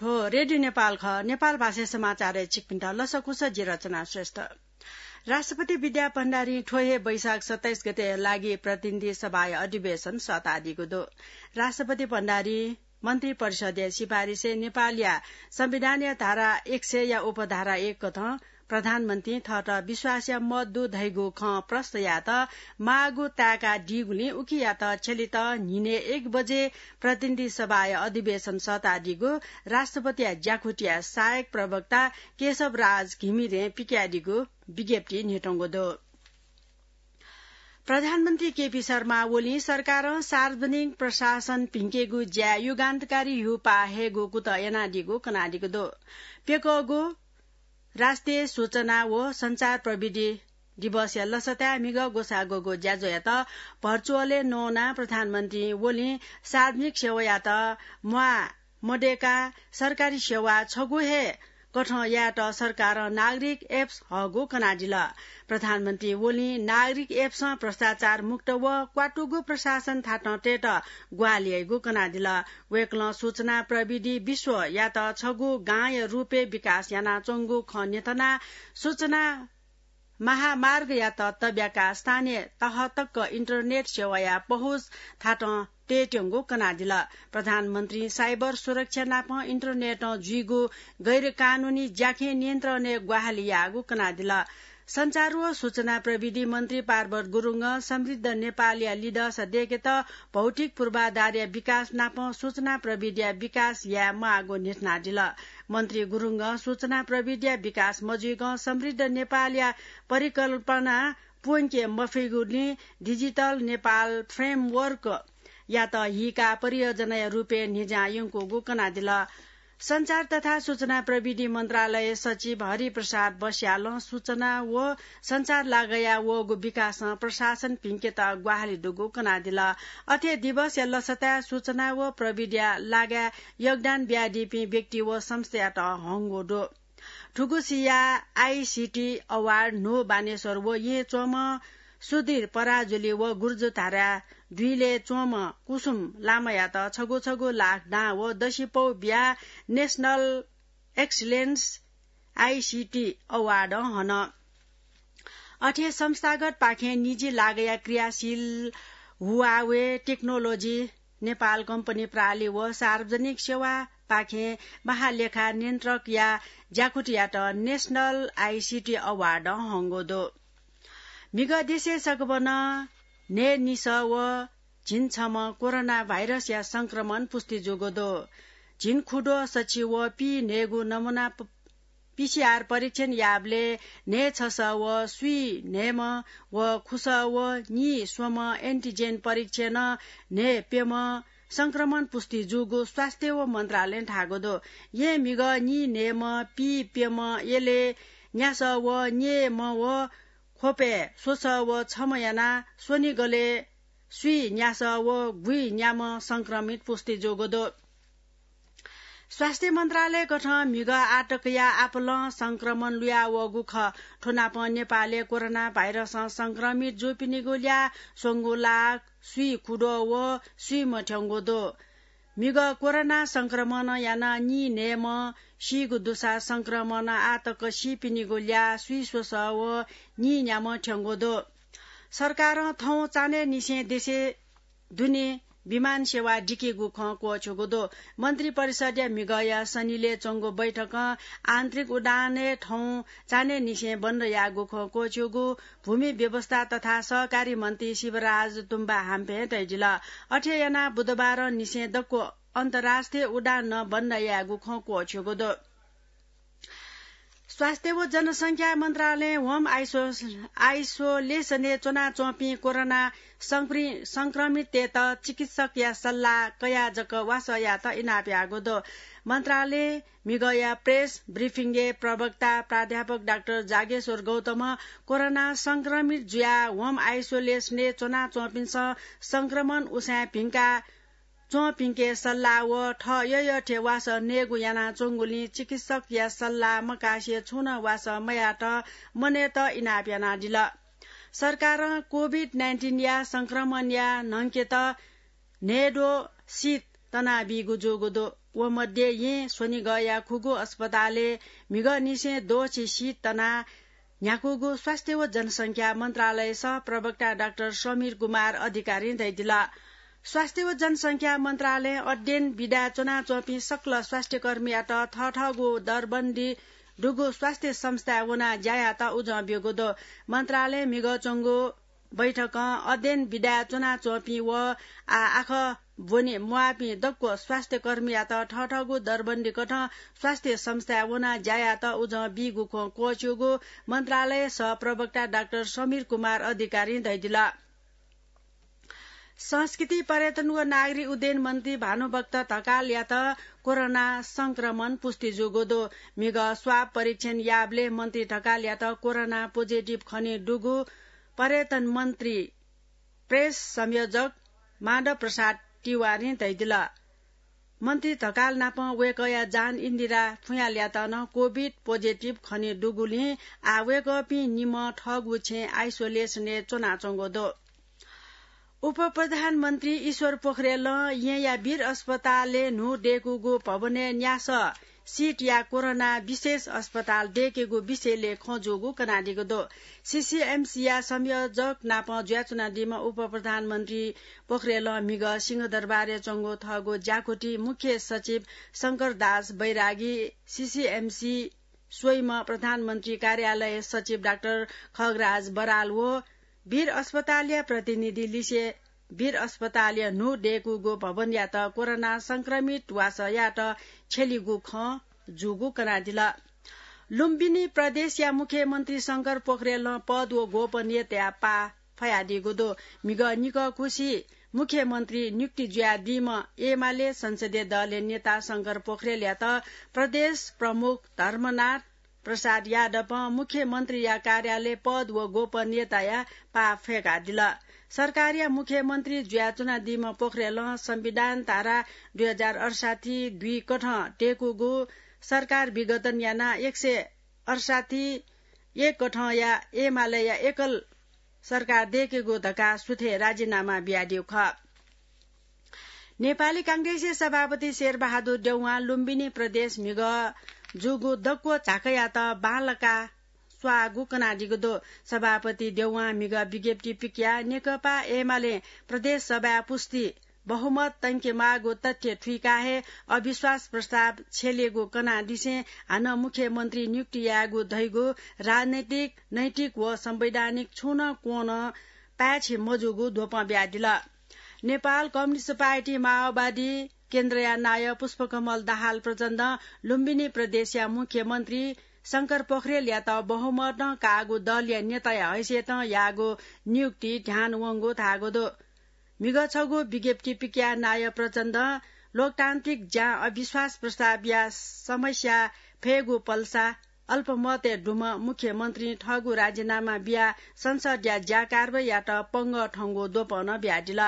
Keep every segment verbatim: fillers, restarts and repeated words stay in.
थ्व रेडियो नेपाल खः। नेपाल भाषाय् समाचारय् छिकपिन्त लसकुस, जि रचना श्रेष्ठ। राष्ट्रपति विद्या भण्डारीं थ्व हे वैशाख सत्ताइस गते लागि प्रतिनिधि सभाया अधिवेशन सःतादीगु दु। राष्ट्रपति भण्डारीं मन्त्री परिषदया सिफारिसय् नेपालया संविधानया धारा एक सय या उपधारा एक कथं प्रधानमन्त्रीं थःत विश्वासया मत दु धइगु खँ प्रष्ट यायेत माःगु ताय्कादीगुलिं उकियात छ्यलेत न्हिनय् एक बजे प्रतिनिधि सभाया अधिवेशन सःतादीगु राष्ट्रपतिया ज्याकुथिया सहायक प्रवक्ता केशव राज घिमिरें पिकयादीगु विज्ञप्ति न्ह्यथंगु दु। प्रधानमन्त्री केपी शर्मा ओलीं सरकारं सार्वजनिक प्रशासन भिंकेगु ज्याय् युगान्तकारी ह्यूपाः हयेगु कुतः यानादीगु कनादीगु दु। प्यकःगु राष्ट्रिय सूचना व सञ्चार प्रविधि दिवसया लसताय् म्हिगः ग्वसाः ग्वःगु ज्याझ्वःयात भर्चुअलय् नवानाः प्रधानमन्त्री ओलीं सार्वजनिक सेवायात म्वाः मदय्काः सरकारी सेवा छगू हे कथं यायेत सरकारं नागरिक एप्स हःगु कनादिल। प्रधानमन्त्री ओलीं नागरिक एप्सं भ्रष्टाचार मुक्त व क्वातुगु प्रशासन थातं तयेत ग्वाहालि याइगु कनादिल। वय्कलं सूचना प्रविधि विश्वयात छगू गांया रूपय् विकास यानाच्वंगु खँ न्ह्यथनाः सूचना महामार्गयात तब्याकाः स्थानीय तह तक इन्टरनेट सेवाया पहुँच थातं तयेत्यंगु कनादिल। प्रधानमन्त्रीं साइबर सुरक्षा नाप इन्टरनेटं जुइगु गैरकानूनी ज्याखँय् नियन्त्रणय् ग्वाहालि याःगु कनादिल। सञ्चार व सूचना प्रविधि मन्त्री पार्वत गुरुङं समृद्ध नेपालया लिधंसा दय्केत भौतिक पूर्वाधारया विकास नाप सूचना प्रविधिया विकास याये माःगु न्ह्यथनादिल। मन्त्री गुरुङं सूचना प्रविधिया विकास मजुइकं समृद्ध नेपालया परिकल्पना पूवंके मफइगुलिं डिजिटल नेपाल फ्रेमवर्कयात हीकाः परियोजनाया रूपय् न्हिज्यां यंकूगु कनादिल। सञ्चार तथा सूचना प्रविधि मन्त्रालय सचिव हरिप्रसाद बस्यालं सूचना व सञ्चार लागःया वःगु विकासं प्रशासन भिंकेत ग्वाहालि दुगु कनादिल। अथे दिवसया लसताय् सूचना व प्रविधिया लागःय् योगदान बियादीपिं व्यक्ति व संस्थायात हंगु दु। थुगुसिया आईसीटी अवार्ड न्हू बानेश्वर व येँ च्वंम्ह सुधीर पराजुली व गुर्जुधारा दुइलय् च्वंम्ह कुसुम लामायात छगू छगू लाख दां व दसिपौ बियाः नेशनल एक्सिलेन्स आईसीटी अवार्ड हन। अथे संस्थागत पाखें निजी लागःया क्रियाशील हुवावे टेक्नोलोजी नेपाल कम्पनी प्रालि व सार्वजनिक सेवा पाखें महालेखा नियन्त्रकया ज्याकुथियात नेशनल आईसीटी अवार्ड हंगु दु। म्हिगः देशय् सकभनं न्हय्निसः व झिंछम्ह कोरोना भाइरसया संक्रमण पुष्टि जूगु दु। झिंखुद्वः सछि व पीन्हय्गू नमुना प-, पीसीआर परीक्षण याःबलय् न्हय्छसः व स्वीन्हय्म्ह व खुसः व नीस्वम्ह एन्टिजेन परीक्षणं न्हय्प्यम्ह संक्रमण पुष्टि जूगु स्वास्थ्य व मन्त्रालयं धाःगु दु। येँ म्हिगः नीन्हय्म्ह, पीप्यम्ह, यलय् न्यासः व न्यय्म्ह व ख्वपय् स्वसः व छम्ह यानाः स्वनिगलय् स्वीन्यासः व गुइन्याम्ह संक्रमित पुष्टि जूगु दु। स्वास्थ्य मन्त्रालयकथं म्हिगः आःतकया आपालं संक्रमण लुया वःगु खः। थ्व नापं नेपालय् कोरोना भाइरसं संक्रमित जूपिनिगु ल्याः स्वंगू लाख स्वीखुद्वः व स्वीम्ह थ्यंगु दु। म्हिगः कोरोना संक्रमणं यानाः नीन्हय्म्ह सीगु दुसा संक्रमणं आःतक सीपिनिगु ल्याः स्वीस्वसः व नीन्याम्ह थ्यंगु दु। सरकारं थौं चान्हय्निसें देशय् दुने विमान सेवा दिकेगु खँ क्वःछ्यूगु दु। मन्त्री परिषदया म्हिगःया सनिलय् च्वंगु बैठकं आन्तरिक उडानय् थौं चान्हय्निसें बन्द याःगु खँ क्वःछ्यूगु भूमि व्यवस्था तथा सहकारी मन्त्री शिवराज तुम्बा हाम्फें तयादिल। अथे यानाः बुधबारंनिसें दक्व अन्तर्राष्ट्रिय उडान नं बन्द यायेगु खँ क्वःछ्यूगु दु। स्वास्थ्य व जनसंख्या मन्त्रालयं होम आइसो-, आइसोलेसनय् च्वनाच्वंपिं कोरोना संक्रि-, संक्रमिततय्त चिकित्सकया सल्लाह कयाः जक वासः यायेत इनाप याःगु दु। मन्त्रालयं म्हिगःया प्रेस ब्रिफिङय् प्रवक्ता प्राध्यापक डाक्टर जागेश्वर गौतमं कोरोना संक्रमित जुयाः होम आइसोलेसनय् च्वनाच्वंपिन्सं संक्रमण उसाँय् भिंका च्वंपिन्के सल्लाह व थः यःयःथें वासः नयेगु यानाच्वंगुलिं चिकित्सकया सल्लाह मकासे छुं नं वासः मयायेत मनय्त इनाप यानादिल। सरकारं कोभिड नाइन्टिनया संक्रमणया न्हंकेत न्हय्द्वः सिट तनाबीगु जूगु दु। व मध्ये यें स्वनिगःया खुगू अस्पतालय् म्हिगःनिसें द्वःछि शीत तनाः न्ह्याकूगु स्वास्थ्य व जनसंख्या मन्त्रालय सह प्रवक्ता डाक्टर समीर कुमार अधिकारीं धयादिल। स्वास्थ्य व जनसंख्या मन्त्रालयं अध्ययन विधाय् च्वनाच्वंपिं सकल स्वास्थ्यकर्मीयात थःथःगु दरबन्दी दुगु स्वास्थ्य संस्थाय् वनाः ज्या यायेत उजं ब्यूगु दु। मन्त्रालयं म्हिगः च्वंगु बैठकं अध्ययन विधाय् च्वनाच्वंपिं व आः आखः ब्वने म्वाःपिं दक्व स्वास्थ्यकर्मीयात थःथःगु दरबन्दी कथं स्वास्थ्य संस्थाय् वनाः ज्या यायेत उजं बीगु खँ क्वःछिउगु मन्त्रालय सह प्रवक्ता डाक्टर समीर कुमार अधिकारीं धयादिल। संस्कृति, पर्यटन व नागरिक उड्डयन मन्त्री भानुभक्त ढकालयात कोरोना संक्रमण पुष्टि जूगु दु। म्हिगः स्वाब परीक्षण याःबलय् मन्त्री ढकालयात कोरोना पोजिटिभ खने दुगु पर्यटन मन्त्री प्रेस संयोजक माधव प्रसाद तिवारीं धयादिल। मन्त्री ढकाल नाप वय्कःया जान इन्दिरा फुयालयात नं कोभिड पोजिटिभ खने दुगुलिं आः वय्कःपिं निम्ह थःगु छेँय् आइसोलेसनय् च्वनाच्वंगु दु। उपप्रधानमन्त्री ईश्वर पोखरेलं येँया वीर अस्पतालय् न्हू दय्कूगु भवनय् न्यासः सिटया कोरोना विशेष अस्पताल दय्केगु विषयलय् खँ जूगु कनादीगु दु। सीसीएमसीया संयोजक नाप जुयाच्वनादीम्ह उपप्रधानमन्त्री पोखरेलं म्हिगः सिंहदरबारय् च्वंगु थःगु ज्याकुथिइ मुख्य सचिव शंकरदास बैरागी, सीसीएमसी स्वइम्ह प्रधानमन्त्री कार्यालय सचिव डाक्टर खगराज बराल व वीर अस्पतालया प्रतिनिधि लिसे वीर अस्पतालया न्हू दय्कूगु भवनयात कोरोना संक्रमित वासःयात छ्यलीगु खँ जूगु कनादिल। लुम्बिनी प्रदेशया मुख्यमन्त्री शंकर पोखरेलं पद व गोपनीयताया पाः फयादीगु दु। म्हिगः निकःकुसि मुख्यमन्त्री नियुक्ति जुयादीम्ह एमाले संसदीय दलया नेता शंकर पोखरेलयात प्रदेश प्रमुख धर्मनाथ प्रसाद यादवं मुख्यमन्त्रीया कार्यालय पद व गोपनीयताया पाः फय्कादिल। सरकारया मुख्यमन्त्री जुयाच्वनादीम्ह पोखरेलं संविधान धारा दुई हजार अडसट्ठी दुई कथं दय्कूगु सरकार विघटन यानाः एक सय अडसट्ठी एक कथंया एमालेया एकल सरकार दय्केगु धकाः सुथय् राजीनामा बियादीगु खः। नेपाली कांग्रेसया सभापति शेरबहादुर देउवां लुम्बिनी प्रदेश म्हिगः जूगु दक्व झाँक्रीयात बांलाका स्वाःगु कनादीगु दु। सभापति देउवां म्हिगः विज्ञप्ति पिकयाः नेकपा एमालें प्रदेश सभाय् पुष्टि बहुमत तंकेमाःगु तथ्य थुइकाः हे अविश्वास प्रस्ताव छ्यलेगु कनादिसें हानं मुख्यमन्त्री नियुक्ति यायेगु धइगु राजनैतिक, नैतिक व संवैधानिक छुं नं क्वं नं पाय्छि मजूगु द्वपं बियादिल। नेपाल कम्युनिस्ट पार्टी माओवादी केन्द्रया नायः पुष्पकमल दाहाल प्रचण्डं लुम्बिनी प्रदेशया मुख्यमन्त्री शंकर पोखरेलयात बहुमतं काःगु दलया नेताया हैसियतं याःगु नियुक्ति ध्यान वंगु धाःगु दु। म्हिगः छगू विज्ञप्ति पिकयाः नायः प्रचण्डं लोकतान्त्रिक ज्यां अविश्वास प्रस्तावया समस्या फयेगु पल्सा अल्पमतय् दुम्ह मुख्यमन्त्रीं थःगु राजीनामा बियाः संसदया ज्या कारवाहीयात पंगः थंगु द्वपं नं बियादिल।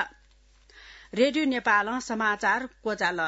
रेडियो नेपालं समाचार क्वचाल।